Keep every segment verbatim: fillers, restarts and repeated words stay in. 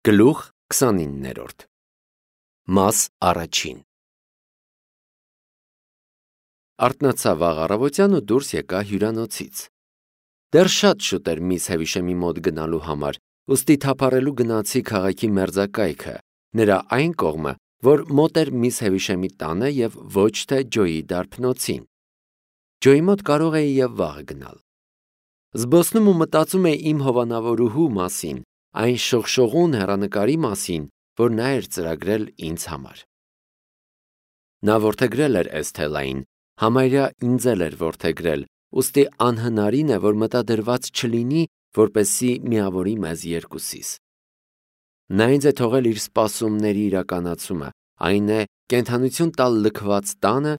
Գլուխ քսանիններորդ Մաս առաջին Արթնացավ վաղ առավոտյան ու դուրս եկա հյուրանոցից։ Դեռ շատ շուտ էր միս Հևիշեմի մոտ գնալու համար, ուստի թափառելու գնացի քաղաքի մերձակայքը, նրա այն կողմը, որ մոտ էր միս Հևիշեմի տանը և ոչ թե Ջոյի դարբնոցին։ Ջոյի մոտ կարող էի և վաղը գնալ։ Զբոսնում ու մտածում էի իմ հովանավորուհու մասին, այն շողշողուն հեռանկարի մասին, որ նա էր ծրագրել ինձ համար։ Նա որդեգրել էր Էսթելային, համարյա ինձ էլ էր որդեգրել, ուստի անհնարին է, որ մտադրված չլինի, որպեսզի միավորի մեզ երկուսիս։ Նա ինձ է թողել իր սպասումների իրականացումը, այն է կենդանություն տալ լքված տանը,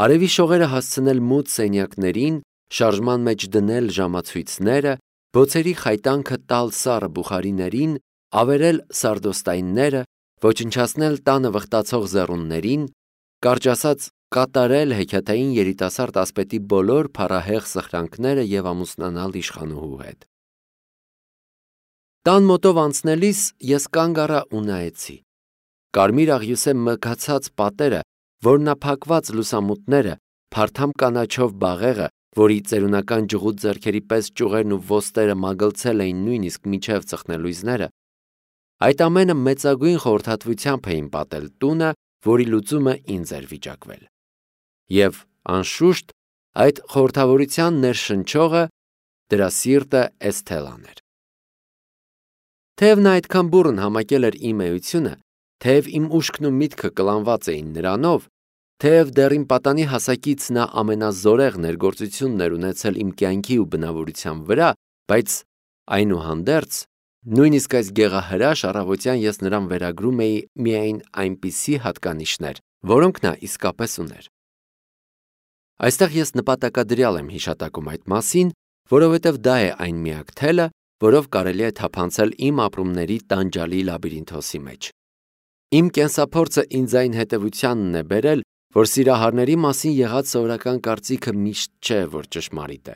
արևի շողերը հասցնել մութ սենյակներին, շարժման մեջ դնել ժամացույցները, բոցերի խայտանքը տալ սառը բուխարիներին, ավերել սարդոստայնները, ոչնչացնել տանը վխտացող զեռուններին, կարճ ասած կատարել հեքիաթային երիտասարդ ասպետի բոլոր փառահեղ սխրանքները և ամուսնանալ իշխանուհու հետ։ Տան մոտով անցնելիս ես կանգ առա ու նայեցի։ Կարմիր աղյուսե մգացած պատերը, որմնափակված լուսամուտները, փարթամ կանաչով բաղեղը, որի ծերունական ջղուտ ձեռքերի պես ճյուղերն ու ոստերը մագլցել էին նույնիսկ մինչև ծխնելույզները, այդ ամենը մեծագույն խորհրդատվությամբ էին պատել տունը, որի լուծումը ինձ էր վիճակվել։ Եվ, անշուշտ, այդ խորհրդավորության ներշնչողը դրա սիրտը Էսթելան էր։ Թեև նա այդքան բուռն համակել էր իմ էությունը, թեև իմ ուշքն ու միտքը կլանված էին նրանով, թեև դեռ իմ պատանի հասակից նա ամենազորեղ ներգործությունն էր ունեցել իմ կյանքի ու բնավորության վրա, բայց այնուհանդերձ, նույնիսկ այս գեղահրաշ առավոտյան ես նրան վերագրում էի միայն այնպիսի հատկանիշներ, որոնք նա իսկապես ուներ։ Այստեղ ես նպատակադրյալ եմ հիշատակում այդ մասին, որովհետև դա է այն միակ թելը, որով կարելի է թափանցել իմ ապրումների տանջալի լաբիրինթոսի մեջ։ Իմ կենսափորձը ինձ այն հետևությանն է բերել, որ սիրահարների մասին եղած սովորական կարծիքը միշտ չէ, որ ճշմարիտ է։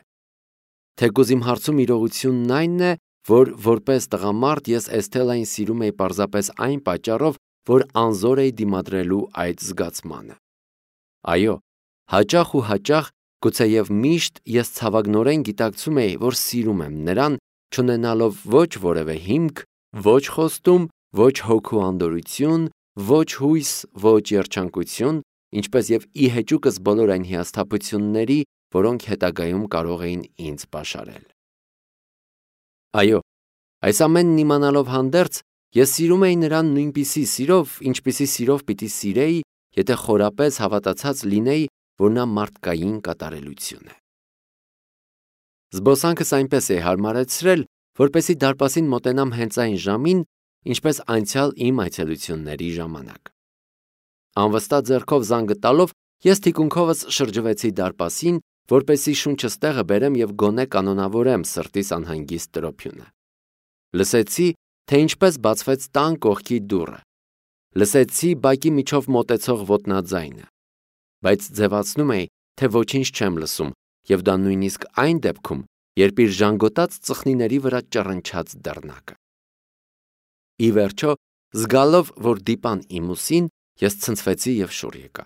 Թեկուզ իմ հարցում իրողությունն այն է, որ որպես տղամարդ ես Էսթելային սիրում էի պարզապես այն պատճառով, որ անզոր էի դիմադրելու այդ զգացմանը։ Այո, հաճախ ու հաճախ, գուցեև միշտ ես ցավագնորեն գիտակցում էի, որ սիրում եմ նրան, չունենալով ոչ որևէ հիմք, ոչ խոստում, ոչ հոգու անդորրություն, ոչ հույս, ոչ երջանկություն, ինչպես և ի հեճուկս բոլոր այն հիասթափությունների, որոնք հետագայում կարող էին ինձ պաշարել։ Այո, այս ամենն իմանալով հանդերձ, ես սիրում էի նրան նույնպիսի սիրով, ինչպիսի սիրով պիտի սիրեի, եթե խորապես հավատացած լինեի, որ նա մարդկային կատարելություն է։ Զբոսանքս այնպես էի հարմարեցրել, որպեսզի դարպասին մոտենամ հենց այն ժամին, ինչպես անցյալ իմ այցելությունների ժամանակ։ Անվստահ ձեռքով զանգը տալով, ես թիկունքովս շրջվեցի դարպասին, որպեսզի շունչս տեղը բերեմ և գոնե կանոնավորեմ սրտիս անհանգիստ տրոփյունը։ Լսեցի, թե ինչպես բացվեց տան կողքի դուռը։ Լսեցի բակի միջով մոտեցող ոտնաձայնը, բայց ձևացնում էի, թե ոչինչ չեմ լսում, և դա նույնիսկ այն դեպքում, երբ իր ժանգոտած ծխնիների վրա ճռնչաց դռնակը։ Ի վերջո, զգալով, որ դիպան իմ ուսին, ես ցնցվեցի և շուռ եկա։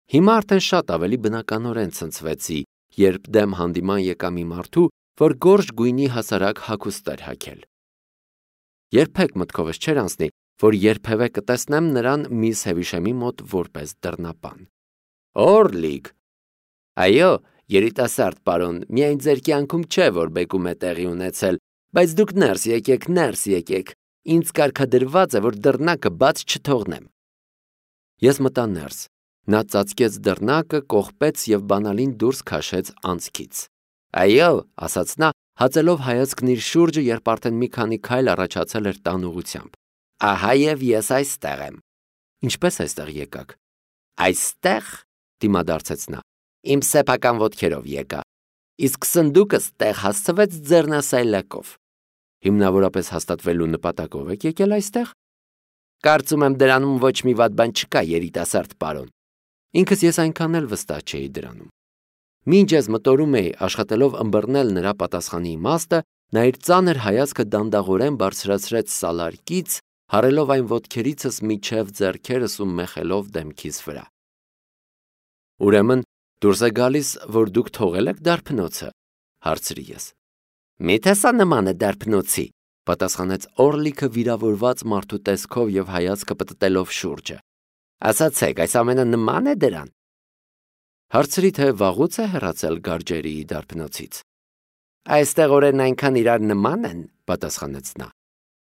Հիմա արդեն շատ ավելի բնականորեն ցնցվեցի, երբ դեմ հանդիման եկա մի մարդու, որ գորշ գույնի հասարակ հագուստ էր հագել։ Երբեք մտքովս չէր անցնի, որ երբևէ կտեսնեմ նրան միս Հևիշեմի մոտ որպես դռնապան։ Օրլիկ։ Այո, երիտասարդ պարոն, միայն ձեր կյանքում չէ, որ բեկում է տեղի ունեցել, բայց դուք ներս եկեք, ներս եկեք, ինձ կարգադրված է, որ դռնակը բաց չթողնեմ։ Ես մտա ներս, նա ծածկեց դռնակը, կողպեց և բանալին դուրս քաշեց անցքից։ Այո, ասաց նա, հացելով հայացքն իր շուրջը, երբ արդեն մի քանի քայլ առաջացել էր տան ուղղությամբ։ Ահա և ես այստեղ եմ։ Ինչպես այստեղ եկաք։ Այստեղ, դիմադարձեց նա, իմ սեփական ոտքերով եկա, իսկ սնդուկս տեղ հասցվեց ձեռնասայլակով։ Հիմնավորապես հաստատվելու նպատակով եք եկել այստեղ։ Կարծում եմ դրանում ոչ մի վատ բան չկա, երիտասարդ պարոն։ Ինքս ես այնքան էլ վստահ չէի դրանում։ Մինչ ես մտորում էի աշխատելով ըմբռնել նրա պատասխանի իմաստը, նա իր ծանր հայացքը դանդաղորեն բարձրացրեց սալարկից, հարելով այն ոտքերիցս միջև ձեռքերս ու մեխելով դեմքիս վրա։ Ուրեմն դուրս է գալիս, որ դուք թողել եք դարբնոցը, հարցրի ես։ Միթե սա նման է դարբնոցի, պատասխանեց Օրլիքը վիրավորված մարդու տեսքով եւ հայացքը պտտելով շուրջը։ Ասացեք, այս ամենը նման է դրան։ Հարցրի, թե վաղուց է հեռացել Գարջերիի դարբնոցից։ Այստեղ օրերն այնքան իրար նման են, պատասխանեց նա,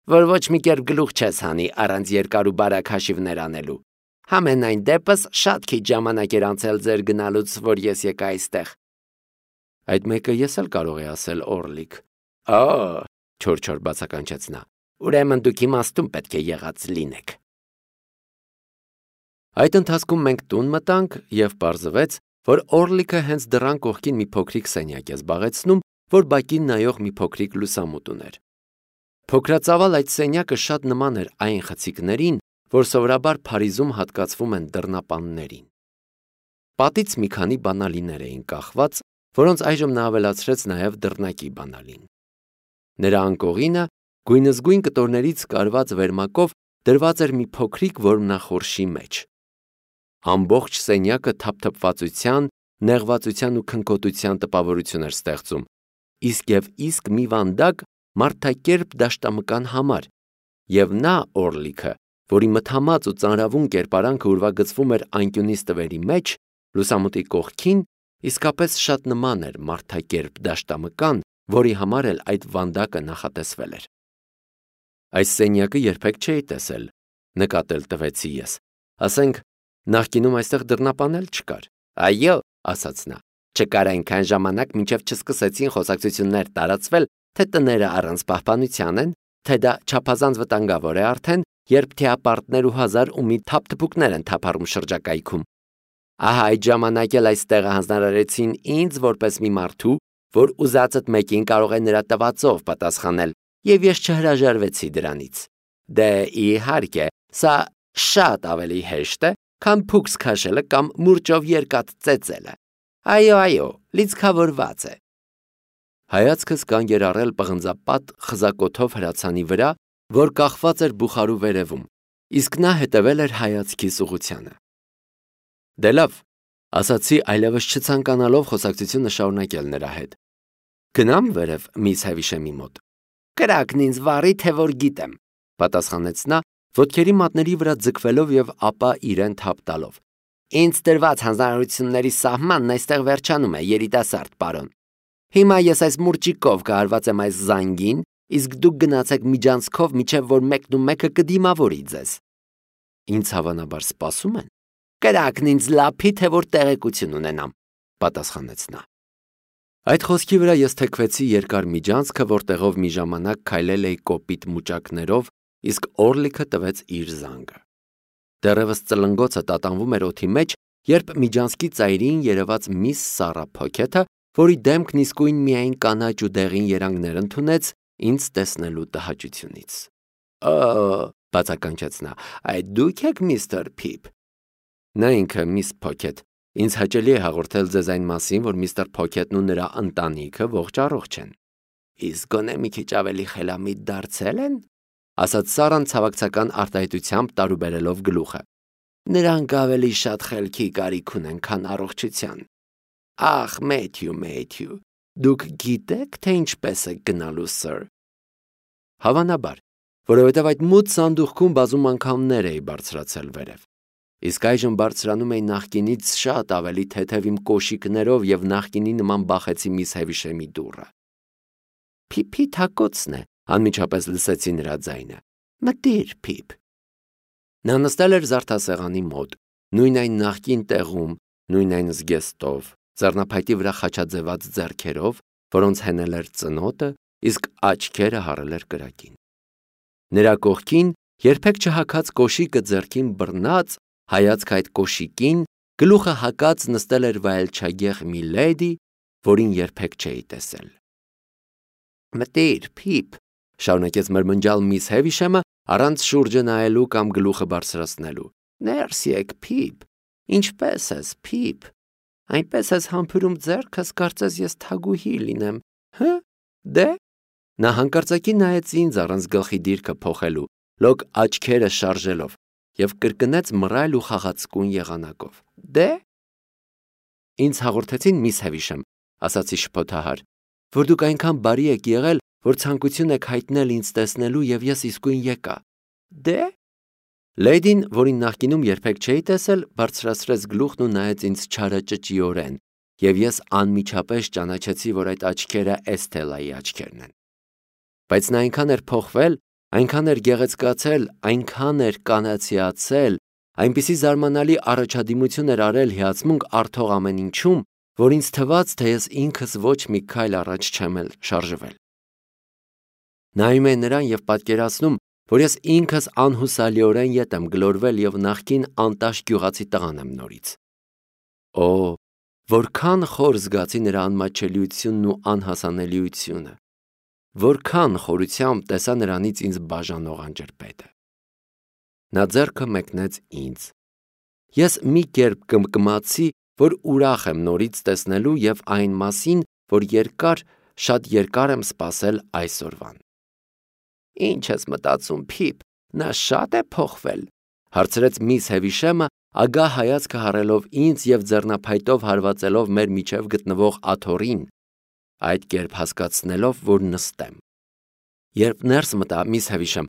որ ոչ մի կերպ գլուխ չես հանի առանց երկար ու բարակ հաշիվներ անելու։ Համենայն դեպս շատ քիչ ժամանակ էր անցել ձեր գնալուց, որ ես եկա այստեղ։ Այդ մեկը ես էլ կարող եմ ասել, Օրլիկ։ Օ, չոր-չոր բացականչեց նա։ Ուրեմն դուք իմաստուն պետք է եղած լինեք։ Այդ ընթացքում մենք տուն մտանք եւ պարզվեց, որ Օրլիկը հենց դռան կողքին մի փոքրիկ սենյակ է զբաղեցնում, որ բակին նայող մի փոքրիկ լուսամուտ ուներ։ Փոքրածավալ այդ սենյակը շատ նման էր այն խցիկներին, որ սովորաբար Փարիզում հատկացվում են դռնապաններին։ Պատից մի քանի բանալիներ էին կախված, որոնց այժմ նա ավելացրեց նաև դռնակի բանալին։ Նրա անկողինը գույնզգույն կտորներից կարված վերմակով դրված էր մի փոքրիկ որմնախորշի մեջ։ Ամբողջ սենյակը թափթփվածության, նեղվածության ու քնքոտության տպավորություն էր ստեղծում, իսկ եւ իսկ մի վանդակ մարդակերպ դաշտամկան համար, եւ նա Օրլիքը, որի մթամած ու ծանրավուն կերպարանքը ուրվագծվում էր անկյունի ստվերի մեջ, լուսամուտի կողքին իսկապես շատ նման էր մարդակերպ դաշտամկան, որի համար էլ այդ վանդակը նախատեսվել էր։ Այս սենյակը երբեք չէի տեսել, նկատել տվեցի ես։ Ասենք, նախկինում այստեղ դռնապան էլ չկար։ Այո, ասաց նա, չկար այնքան ժամանակ, մինչև չսկսեցին խոսակցություններ տարածվել, թե տները առանց պահպանության են, թե դա չափազանց վտանգավոր է արդեն, երբ թեապարտներ ու հազար ու մի թափթփուկներ են թափառում շրջակայքում։ Ահա այդ ժամանակ էլ այս տեղը հանձնարարեցին ինձ որպես մի մարդու, որ ուզածդ մեկին կարող է նրա տվածով պատասխանել, եւ ես չհրաժարվեցի դրանից։ Դե իհարկե, սա շատ ավելի հեշտ է, քան փուքս քաշելը կամ մուրճով երկաթ ծեծելը։ Այո, այո, լիցքավորված է։ Հայացքս կանգ էր առել պղնձապատ խզակոթով հրացանի վրա, որ կախված էր բուխարու վերևում, իսկ նա հետևել էր հայացքիս ուղղությանը։ Դե լավ, ասացի այլևս չցանկանալով խոսակցությունը շարունակել նրա հետ։ Գնամ վերև միս Հևիշեմի մոտ։ Կրակն ինձ վարի, թե որ գիտեմ, պատասխանեց նա, ոտքերի մատների վրա ձգվելով եւ ապա իրեն թափ տալով։ Ինձ տրված հանձնարարությունների սահմանն այստեղ վերջանում է, երիտասարդ պարոն։ Հիմա ես այս մուրճիկով կհարված եմ այս զանգին, իսկ դուք գնացեք միջանցքով, միջև որ մեկն ու մեկը կդիմավորի ձեզ։ Ինձ հավանաբար սպասում են։ Կրակն ինձ լափի, թե որ տեղեկություն ունենամ, պատասխանեց նա։ Այդ խոսքի վրա ես թեքվեցի երկար միջանցքը, որտեղով մի ժամանակ քայլել էի կոպիտ մուճակներով, իսկ Օրլիքը տվեց իր զանգը։ Դեռևս ծլնգոցը տատանվում էր օդի մեջ, երբ միջանցքի ծայրին երևաց միս Սարա Փոքեթը, որի դեմքն իսկույն միայն կանաչ ու դեղին երանգներ ընդունեց ինձ տեսնելու տհաճությունից։ Օ, բացականչեց նա, այդ դուք եք միստր Փիփ։ Նա ինքը միս Փոքեթ, ինձ հաճելի է հաղորդել ձեզ այն մասին, որ միստր Փոքեթն ու նրա ընտանիքը ողջ առողջ են։ Իսկ գոնե մի քիչ ավելի խելամիտ դարձել են, ասաց Սարան ցավակցական արտահայտությամբ տարուբերելով գլուխը։ Նրանք ավելի շատ խելքի կարիք ունեն, քան առողջության։ Ախ, Մեթյու, Մեթյու, դուք գիտեք, թե ինչպես եք գնալու, սըր։ Հավանաբար, որովհետև այդ մութ սանդուղքում բազում անգամներ էի բարձրացել վերև։ Իսկ այժմ բարձրանում էի նախկինից շատ ավելի թեթև իմ կոշիկներով եւ նախկինի նման բախեցի միս Հևիշեմի դուռը։ Փիփի թակոցն է, անմիջապես լսեցի նրա ձայնը։ Մտիր, Փիփ։ Նա նստել էր զարդասեղանի մոտ, նույն այն նախկին տեղում, նույն այն զգեստով, ձեռնափայտի վրա խաչաձևած ձեռքերով, որոնց հենել էր ծնոտը, իսկ աչքերը հառել էր կրակին։ Նրա կողքին երբեք չհագած կոշիկը ձեռքին բռնած, հայացք այդ կոշիկին, գլուխը հակած նստել էր վայելչագեղ մի լեդի, որին երբեք չէի տեսել։ Մտիր, Փիփ, շարունակեց մրմնջալ միս Հևիշեմը, առանց շուրջը նայելու կամ գլուխը բարձրացնելու։ Ներս եկ, Փիփ, ինչպես ես, Փիփ, այնպես ես համբուրում ձեռքս, կարծես ես թագուհի լինեմ, հը, դե, Նա հանկարծակի նայեց ինձ առանց գլխի դիրքը փոխելու, լոկ աչքերը շարժելով, և կրկնեց մռայլ ու խաղացկուն եղանակով. Դե՞։ Ինձ հաղորդեցին միս Հևիշեմ, ասացի շփոթահար, որ դուք այնքան բարի եք եղել, որ ցանկություն եք հայտնել ինձ տեսնելու և ես իսկույն եկա։ Դե՞։ Լեյդին, որին նախկինում երբեք չէի տեսել, բարձրացրեց գլուխն ու նայեց ինձ չարաճճիորեն, և ես անմիջապես ճանաչեցի, որ այդ աչքերը Էսթելայի աչքերն են։ Բայց նա այնքան էր փոխվել, այնքան էր գեղեցկացել, այնքան էր կանացիացել, այնպիսի զարմանալի առաջադիմություն էր արել հիացմունք առթող ամեն ինչում, որ ինձ թվաց, թե ես ինքս ոչ մի քայլ առաջ չեմ էլ շարժվել։ Նայում էի նրան և պատկերացնում, որ ես ինքս անհուսալիորեն ետ եմ գլորվել և նախկին անտաշ գյուղացի տղան եմ նորից։ Օ, որքան խոր զգացի նրա անմատչելիությունն ու անհասանելիությունը, որքան խորությամբ տեսա նրանից ինձ բաժանող անջրպետը։ Նա ձեռքը մեկնեց ինձ։ Ես մի կերպ կմկմացի, որ ուրախ եմ նորից տեսնելու և այն մասին, որ երկար, շատ երկար եմ սպասել այսօրվան։ Ինչ ես մտածում, Փիփ, նա շատ է փոխվել, հարցրեց միս Հևիշեմը, ագահ հայացքը հառելով ինձ և ձեռնափայտով հարվածելով մեր միջև գտնվող աթոռին, այդ կերպ հասկացնելով, որ նստեմ։ Երբ ներս մտա միս Հևիշեմ,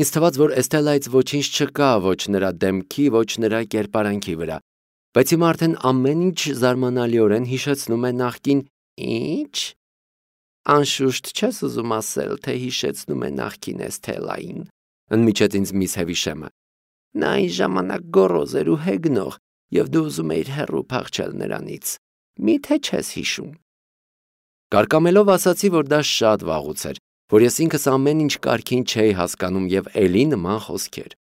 ինձ թվաց, որ Էսթելայից ոչինչ չկա ոչ նրա դեմքի, ոչ նրա կերպարանքի վրա, բայց հիմա արդեն ամեն ինչ զարմանալիորեն հիշեցնում է նախկին ինչ։ Անշուշտ չես ուզում ասել, թե հիշեցնում է նախկին Էսթելային, ընդմիջեց ինձ միս Հևիշեմը։ Նա այն ժամանակ գոռոզ էր ու հեգնող, և դու ուզում էիր հեռու փախչել նրանից։ Մի՞թե չես հիշում։ Կարկամելով ասացի, որ դա շատ վաղուց էր, որ ես ինքս ամեն ինչ կարգին չէի հասկանում և էլի նման խոսքեր։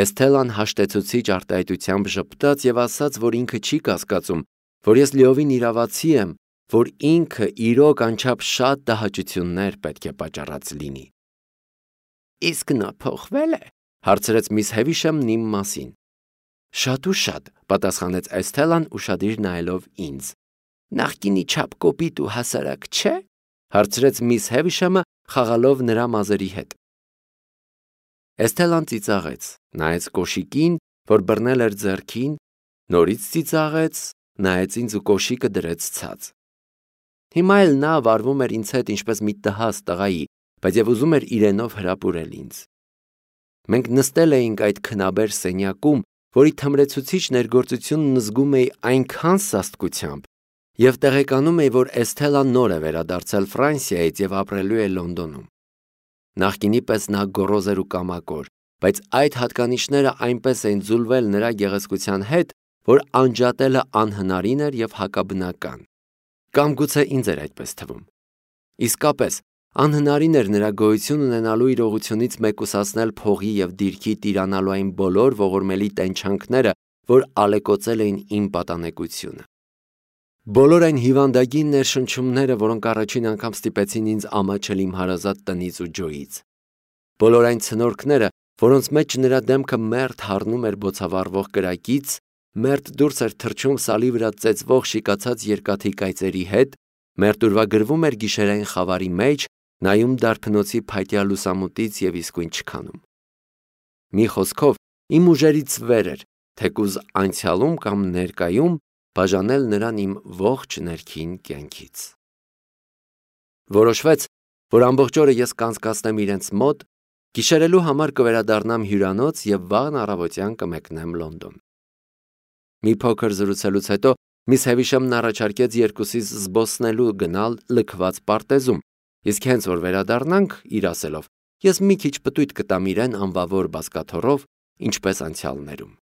Էսթելան հաշտեցուցիչ արտահայտությամբ ժպտաց և ասաց, որ ինքը չի կասկածում, որ ես լիովին իրավացի եմ, որ ինքը իրոք անչափ շատ տհաճություններ պետք է պատճառած լինի։ Իսկ նա փոխվե՞լ է, հարցրեց միս Հևիշեմն իմ մասին։ Շատ ու շատ, պատասխանեց Էսթելան ուշադիր նայելով ինձ։ Նախկինի չափ կոպիտ ու հասարակ չէ, հարցրեց միս Հևիշեմը, խաղալով նրա մազերի հետ։ Էսթելան ծիծաղեց, նայեց կոշիկին, որ բռնել էր ձեռքին, նորից ծիծաղեց, նայեց ինձ ու կոշիկը դրեց ցած։ Հիմա էլ նա վարվում էր ինձ հետ ինչպես մի տհաս տղայի, բայց և ուզում էր իրենով հրապուրել ինձ։ Մենք նստել էինք այդ քնաբեր սենյակում, որի թմրեցուցիչ ներգործությունն զգում էի այնքան սաստկությամբ, և տեղեկանում էի, որ Էսթելան նոր է վերադարձել Ֆրանսիայից և ապրելու է Լոնդոնում։ Նախկինի պես նա գոռոզ էր ու կամակոր, բայց այդ հատկանիշները այնպես էին ձուլվել նրա գեղեցկության հետ, որ անջատելը անհնարին էր և հակաբնական։ Կամ գուցե ինձ էր այդպես թվում։ Իսկապես, անհնարին էր նրա գոյություն ունենալու իրողությունից մեկուսացնել փողի և դիրքի տիրանալու այն բոլոր ողորմելի տենչանքները, որ ալեկոծել էին իմ պատանեկությունը։ Բոլոր այն հիվանդագին ներշնչումները, որոնք առաջին անգամ ստիպեցին ինձ ամաչել իմ հարազատ տնից ու ջոյից։ Բոլոր այն ցնորքները, որոնց մեջ նրա դեմքը մերթ հառնում էր բոցավառվող կրակից, մերթ դուրս էր թռչում սալի վրա ծեծվող շիկացած երկաթի կայծերի հետ, մերթ ուրվագրվում էր գիշերային խավարի մեջ, նայում դարբնոցի փայտյա լուսամուտից և իսկույն չքանում։ Մի խոսքով, իմ ուժերից վեր էր, թեկուզ անցյալում կամ ներկայում, բաժանել նրան իմ ողջ ներքին կյանքից։ Որոշվեց, որ ամբողջ օրը ես կանցկացնեմ իրենց մոտ, գիշերելու համար կվերադառնամ հյուրանոց և վաղն առավոտյան կմեկնեմ Լոնդոն։ Մի փոքր զրուցելուց հետո միս Հևիշեմն առաջարկեց երկուսիս զբոսնելու գնալ լքված պարտեզում, իսկ հենց որ վերադառնանք, իր ասելով, ես մի քիչ պտույտ կտամ իրեն անվավոր բազկաթոռով, ինչպես անցյալներում։